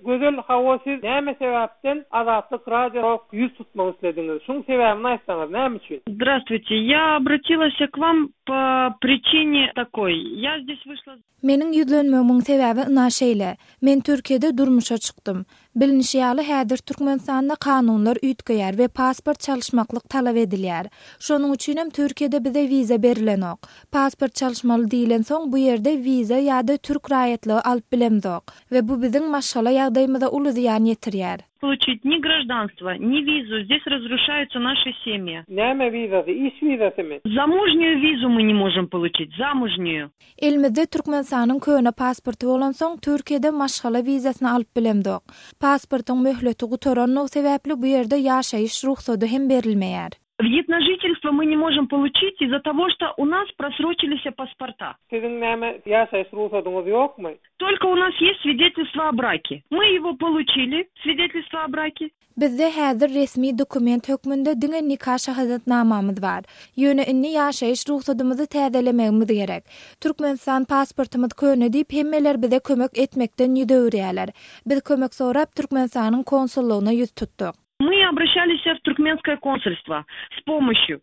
Gözel hawa siz näme sebäpden Azatlyk radio yüz tutmak istediňiz? Şuň sebäbini aýtsaňyz, näme üçin? Здравствуйте, я обратилась к вам по причине такой. Я здесь вышла... Menin ýüzlenmemiň sebäbi ina şeýle. Men Türkiýede durmuşa çykdym. Bilinýärli häzir Türkmenistanda kanunlar üýtgeýär we pasport çalışmaklyk talap edilýär. Şonuň üçin hem Türkiýede bize viza berilenok. Pasport çalışmaly diýilen soň bu ýerde viza ýa-da türk raýatligi alyp bilemdok we bu biziň maşgala ýagdaýymyza uly ziýan ýetirýär. Получить ни гражданство, ни визу. Здесь разрушаются наши семьи. Näme vizasy? Iş vizasy? Замужнюю визу мы не можем получить. Замужнюю. Elimizde Türkmenistanyň köne pasporty bolan soň Türkiýede maşgala vizasyny alyp bilemdok. Pasportyň möhleti gutaranyň sebäpli bu ýerde ýaşaýyş ruhsady hem berilmeýär. Вид на жительство мы не можем получить из-за того, что у нас просрочились паспорта. Siziň näme ýaşaýyş ruhsadyňyz ýokmy? Только у нас есть свидетельство о браке. Мы его получили, свидетельство о браке. Bizde häzir resmi dokument hökmünde diňe nikah şahadatnamamyz bar. Ýöne inni ýaşaýyş ruhsadymyzy täzelemegimiz gerek. Türkmenistan pasportymyz köne diýip hemmeler bize kömek etmekden ýüdürýärler. Biz kömek sorap Türkmenistanyň konsullugyna ýüz tutdyk. Мы обращались в туркменское консульство с помощью.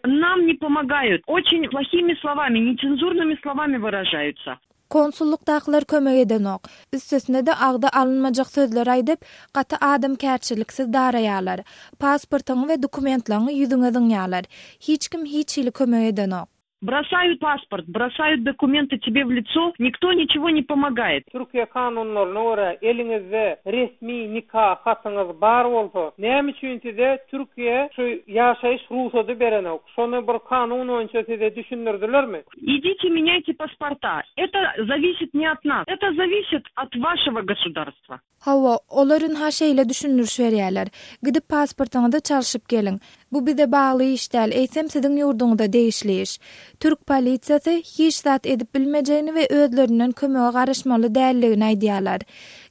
Нам не помогают. Очень плохими словами, нецензурными словами выражаются. Konsullukdakylar kömek edenok. Üstesine de agda alınmajak sözler aýdyp, gaty adam kärçiliksiz daraýarlar. Pasportyň we dokumentlaryny ýüzüňe diňýarlar. Hiç kim hiç ýyly kömek edenok. Бросают паспорт, бросают документы тебе в лицо, никто ничего не помогает. Türkiye kanunlaryna göre eliňizde resmi nikah hatyňyz bar bolsa, näme üçin size Türkiye şu ýaşaýyş ruhsady berenok? Şonu bir kanun boýunça size düşündirdilermi? Идите меняйте паспорта. Это зависит не от нас, это зависит от вашего государства. Hawa, olaryň ha şeýle düşündürüş berýärler. Gidip pasportyňyzda çalyşyp geliň. Bu bize bagly iş däl, eýsem siziň ýurduňyzda değişli iş. Türk polisiýasy hiç zat edip bilmejegini we özlerinden kömege garaşmaly dälligini aýdýarlar.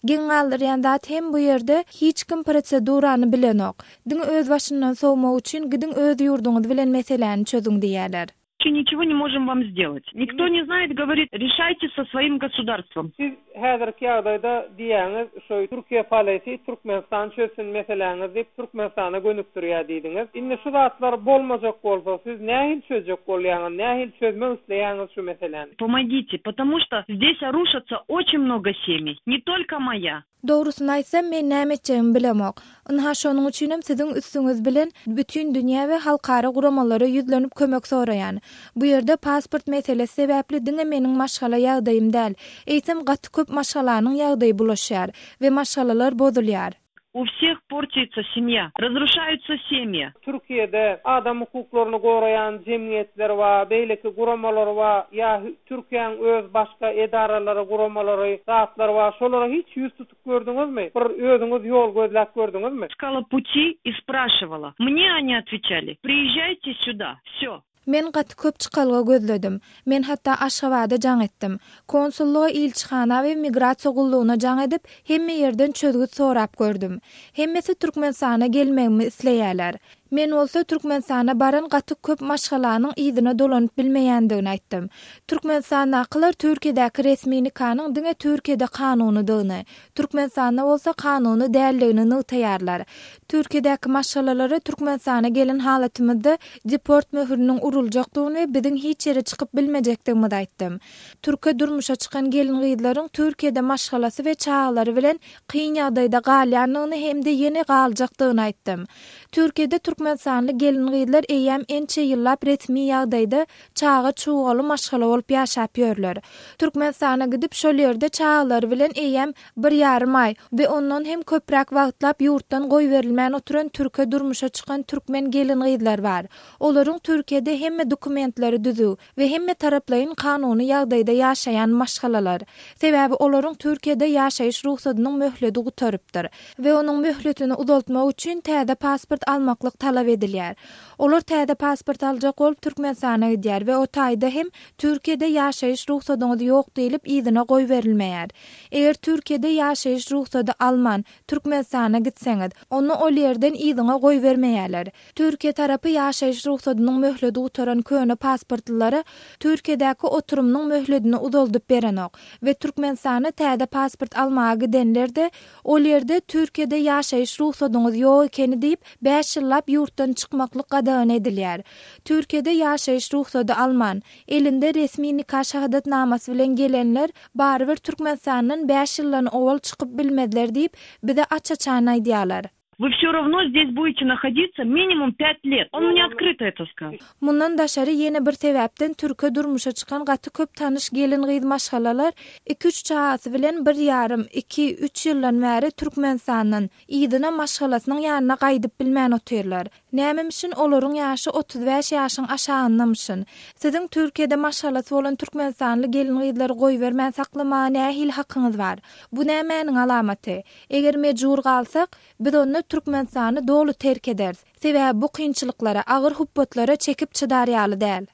Geňalryan zat hem bu ýerde hiç kim prosedurany bilenok. Diň öz başyndan sowmak üçin gidiň öz ýurduňyz bilen meseleni çözüň diýerler. Ничего не можем вам сделать. Никто не знает, говорит, решайте со своим государством. Siz häzirki ýagdaýda diýäňiz, şo Türkiýe polisi Türkmenistan çözsün meseleňiz diýip Türkmenistana gönükdirýär diýdiňiz. Indi şu zatlar bolmajak bolsa, siz nähil çözjek bolýaňyz, nähil çözmek isleýäňiz şu meseleni? Помогите, потому что здесь рушатся очень много семей, не только моя. Doğrusunu aýsam men näme etjegimi bilemok. Ynha şonuň üçin hem siziň üstüňiz bilen bütün dünýä we halkara guramalara ýüzlenip kömek soraýan. Bu ýerde pasport meselesi sebäpli diňe meniň maşgala ýagdaýym däl. Eýsem gaty köp maşgalanyň ýagdaýy bulaşýar we maşgalalar bozulýar. У всех портится семья, разрушаются семьи. Türkiýede adam hukuklaryny goraýan jemgyýetler we beýleki guramalar we ýa Türkiýanyň öz başga edaralary, guramalary, zatlar we şolara hiç ýüz tutup gördüňizmi? Bir özüňiz ýol gözläp gördüňizmi? Искала пути и спрашивала. Мне они отвечали: приезжайте сюда. Всё. Men gaty köp çykalga gözledim. Men hatta Aşgabatda jaň etdim. Konsulluğa, ilçihana we migrasiýa gullugyna jaň edip, hemme ýerden çözgüt sorap gördüm. Hemmesi Türkmenistana gelmegimi isleýärler. Men bolsa Türkmenistana baran gaty köp maşgalanyň ýygyna dolanyp bilmeýändigini aýtdym. Türkmenistanakylar Türkiýedäki resmi nikahnyň diňe Türkiýede kanuny dygyny, Türkmenistanda bolsa kanuny dälligini nytaýarlar. Türkiýedäki maşgalalary Türkmenistana gelen halatymyzda deport möhüriniň uruljakdygyny we biziň hiç ýere çykyp bilmejekdigimizi aýtdym. Türkiýe durmuşa çykan gelin gyýdlaryň Türkiýede maşgalası we çağlary bilen kyn ýagdaýda galýanyny hem de ýene galjakdygyny aýtdym. Türkiýede Türkmenistanly gelin gyýdlar eýem ençe ýyllap resmi ýagdaýda çağa çugaly maşgala bolup ýaşap ýörler. Türkmenistana gidip şol ýerde çağlary bilen eýem 1,5 aý we ondan hem köpräk wagtlap ýurtdan goý berilmän oturan Türkiýe durmuşa çykan türkmen gelin gyýdlar bar. Olaryň Türkiýede hemme dokumentlary düzü we hemme taraplaryň kanuny ýagdaýda ýaşaýan maşgalalar. Sebäbi olaryň Türkiýede ýaşaýyş ruhsadynyň möhleti gutarypdyr we onuň möhletini uzaltmak üçin täze pasport almaklyk talap edilýär. Olar täze pasport aljak bolup Türkmenistana gidýär we o taýda hem Türkiýede ýaşaýyş ruhsatyňyz ýok diýilip ýygyna goý berilmeýär. Eger Türkiýede ýaşaýyş ruhsaty alman Türkmenistana gitseňiz, onu ol ýerden ýygyna goý bermeýärler. Türkiýe tarapy ýaşaýyş ruhsatynyň möhledi utaran köne pasportlary Türkiýedäki oturumnyň möhledini uzaldyp berenok we Türkmenistana täze pasport almaga gidenler de ol ýerde Türkiýede ýaşaýyş ruhsatyňyz ýok ekeni diýip 5 ýyllap ýurtdan çykmaklyk gadagan edilýär. Türkiýede ýaşaýyş ruhsaty alman, elinde resmi nikah şahadatnamasy bilen gelenler barybir Türkmenistanyň 5 ýyldan owal çykyp bilmediler diýip bize açaçan aýdýarlar. Вы все равно здесь будете находиться минимум 5 лет. Он мне открыто это сказал. Mundan daşary ýene bir sebäpden Türkiýe durmuşa çykan gaty köp tanış gelin gyz maşgalalar 2-3 çagasy bilen 1,5-2-3 ýyldan bäri Türkmenistanyň ýygyna maşgalasynyň ýanyna gaýdyp bilmän oturýarlar. Näme üçin olaryň ýaşy 35 ýaşyň aşagyndamışyn. Siziň Türkiýede maşgalasy bolan Türkmenistanly gelin gyzlary goý bermän saklama nähil hakyňyz bar. Bu nämenin alamaty? Eger mejbur galsak, biz onu Türkmenistany dolu terk ederiz. Sebäbi bu kynçylyklara, agyr hupbatlara çekip çydarýaly däl.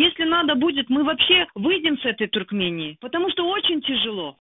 Если надо будет, мы вообще выйдем с этой Туркмении, потому что очень тяжело.